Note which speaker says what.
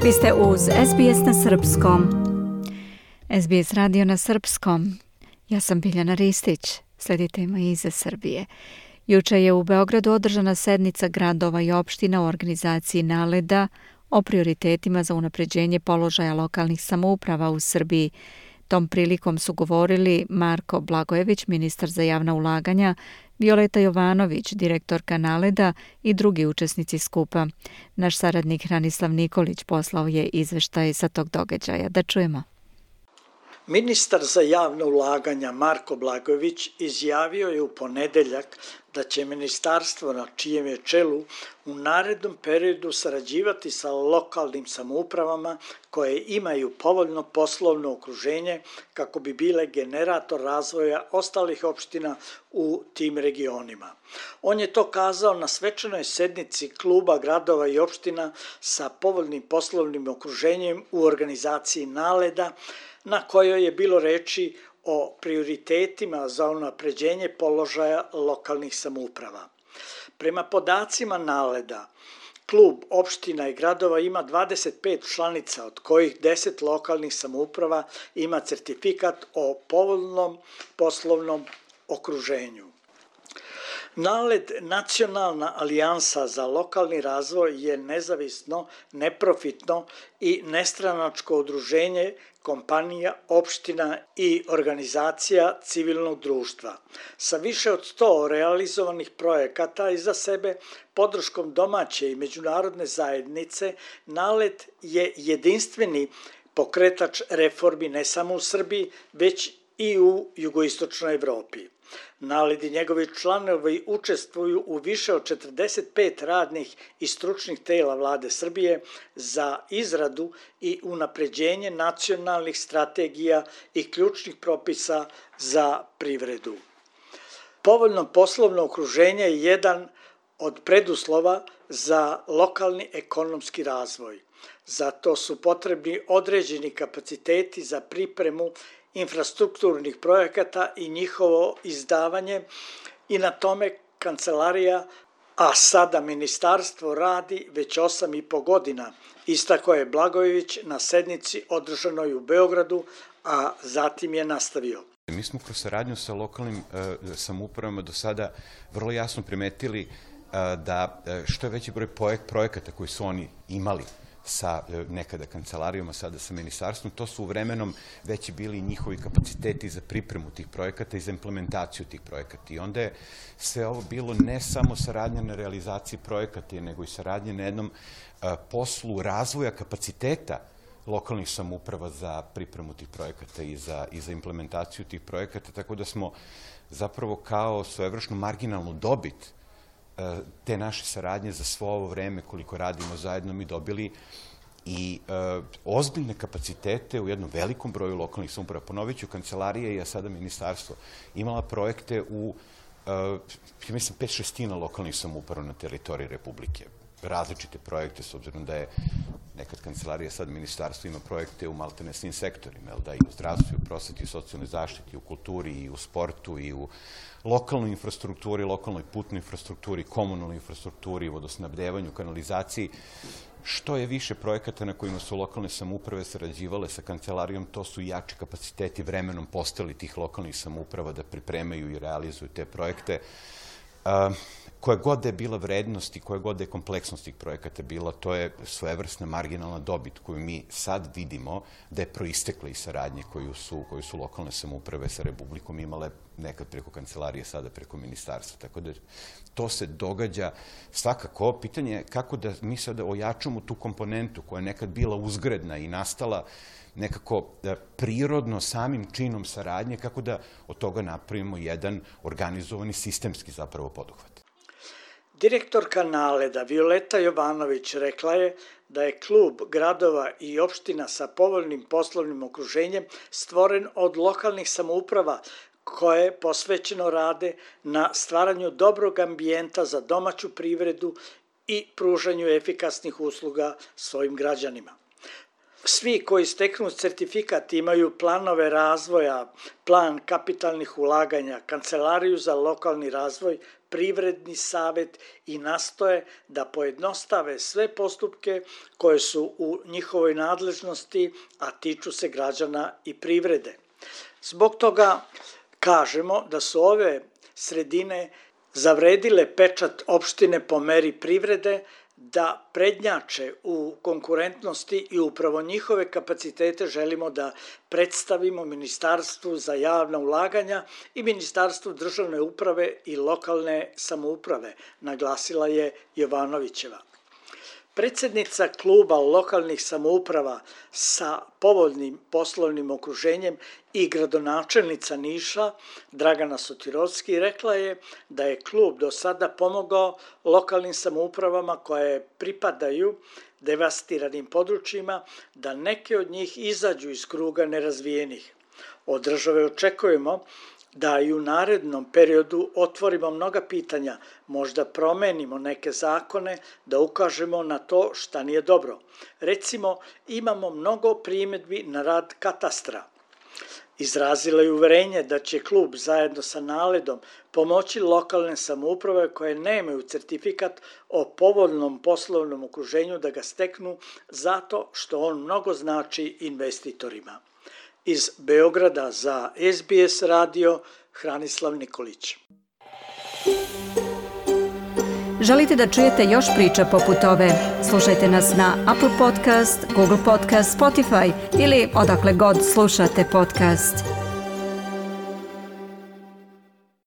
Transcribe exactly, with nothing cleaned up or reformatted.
Speaker 1: Vi ste uz S B S na srpskom. S B S radio na srpskom. Ja sam Biljana Ristić. Sledite me iz Srbije. Juče je u Beogradu održana sednica gradova i opština u organizaciji NALED-a o prioritetima za unapređenje položaja lokalnih samouprava u Srbiji. Tom prilikom su govorili Marko Blagojević, ministar za javna ulaganja, Violeta Jovanović, direktorka NALED-a i drugi učesnici skupa. Naš saradnik Hranislav Nikolić poslao je izveštaj sa tog događaja. Da čujemo.
Speaker 2: Ministar za javna ulaganja Marko Blagojević izjavio je u ponedeljak da će ministarstvo na čijem je čelu u narednom periodu sarađivati sa lokalnim samoupravama koje imaju povoljno poslovno okruženje kako bi bile generator razvoja ostalih opština u tim regionima. On je to kazao na svečanoj sednici kluba gradova i opština sa povoljnim poslovnim okruženjem u organizaciji NALED-a, na kojoj je bilo reči o prioritetima za unapređenje položaja lokalnih samouprava. Prema podacima NALED-a, klub opština i gradova ima dvadeset pet članica, od kojih deset lokalnih samouprava ima certifikat o povoljnom poslovnom okruženju. NALED, Nacionalna alijansa za lokalni razvoj, je nezavisno, neprofitno i nestranačko udruženje kompanija, opština i organizacija civilnog društva. Sa više od sto realizovanih projekata iza sebe, podrškom domaće i međunarodne zajednice, NALED je jedinstveni pokretač reformi ne samo u Srbiji, već i u jugoistočnoj Evropi. NALED i njegovi članovi učestvuju u više od četrdeset pet radnih i stručnih tela vlade Srbije za izradu i unapređenje nacionalnih strategija i ključnih propisa za privredu. Povoljno poslovno okruženje je jedan od preduslova za lokalni ekonomski razvoj. Zato su potrebni određeni kapaciteti za pripremu infrastrukturnih projekata i njihovo izdavanje, i na tome kancelarija, a sada ministarstvo, radi već osam i po godina, istakao je Blagojević na sednici održanoj u Beogradu, a zatim je nastavio.
Speaker 3: Mi smo kroz saradnju sa lokalnim e, samoupravama do sada vrlo jasno primetili e, da e, što je veći broj projekata koji su oni imali sa nekada kancelarijom, a sada sa ministarstvom, to su vremenom već bili njihovi kapaciteti za pripremu tih projekata i za implementaciju tih projekata. I onda je sve ovo bilo ne samo saradnja na realizaciji projekata, nego i saradnja na jednom poslu razvoja kapaciteta lokalnih samouprava za pripremu tih projekata i za, i za implementaciju tih projekata, tako da smo zapravo kao svojevrsnu marginalnu dobit te naše saradnje za svo ovo vreme koliko radimo zajedno mi dobili i e, ozbiljne kapacitete u jednom velikom broju lokalnih samouprava. Ponovit ću, kancelarija i a sada ministarstvo imala projekte u, e, ja mislim, pet šestina lokalnih samouprava na teritoriji Republike. Različite projekte, s obzirom da je nekad kancelarija, sad ministarstvo ima projekte u maltene svim sektorima, da i u zdravstvu, i u prosveti, i u socijalnoj zaštiti, i u kulturi, i u sportu, i u lokalnoj infrastrukturi, lokalnoj putnoj infrastrukturi, komunalnoj infrastrukturi, vodosnabdevanju, kanalizaciji. Što je više projekata na kojima su lokalne samouprave sarađivale sa kancelarijom, to su jači kapaciteti vremenom postali tih lokalnih samouprava da pripremaju i realizuju te projekte. Uh, koja god da je bila vrednost i koja god da je kompleksnost tih projekata bila, to je svojevrsna marginalna dobit koju mi sad vidimo da je proistekla iz saradnje koju su, koju su lokalne samouprave sa Republikom imale nekad preko kancelarije, sada preko ministarstva. Tako da to se događa svakako. Pitanje je kako da mi sada ojačamo tu komponentu koja je nekad bila uzgredna i nastala nekako prirodno samim činom saradnje, kako da od toga napravimo jedan organizovani sistemski zapravo poduhvat.
Speaker 2: Direktorka NALED-a Violeta Jovanović rekla je da je klub gradova i opština sa povoljnim poslovnim okruženjem stvoren od lokalnih samouprava koje posvećeno rade na stvaranju dobrog ambijenta za domaću privredu i pružanju efikasnih usluga svojim građanima. Svi koji steknu certifikat imaju planove razvoja, plan kapitalnih ulaganja, kancelariju za lokalni razvoj, privredni savet i nastoje da pojednostave sve postupke koje su u njihovoj nadležnosti, a tiču se građana i privrede. Zbog toga kažemo da su ove sredine zavredile pečat opštine po meri privrede, da prednjače u konkurentnosti i upravo njihove kapacitete želimo da predstavimo Ministarstvu za javna ulaganja i Ministarstvu državne uprave i lokalne samouprave, naglasila je Jovanovićeva. Predsednica kluba lokalnih samouprava sa povoljnim poslovnim okruženjem i gradonačelnica Niša Dragana Sotirovski rekla je da je klub do sada pomogao lokalnim samoupravama koje pripadaju devastiranim područjima da neke od njih izađu iz kruga nerazvijenih. Od države očekujemo da i u narednom periodu otvorimo mnoga pitanja, možda promenimo neke zakone, da ukažemo na to šta nije dobro. Recimo, imamo mnogo primedbi na rad katastra. Izrazila je uverenje da će klub zajedno sa Naledom pomoći lokalne samouprave koje nemaju certifikat o povoljnom poslovnom okruženju da ga steknu zato što on mnogo znači investitorima. Iz Beograda za S B S radio, Hranislav Nikolić.
Speaker 1: Želite da čujete još priča poput ove? Slušajte nas na Apple Podcast, Google Podcast, Spotify ili odakle god slušate podcast.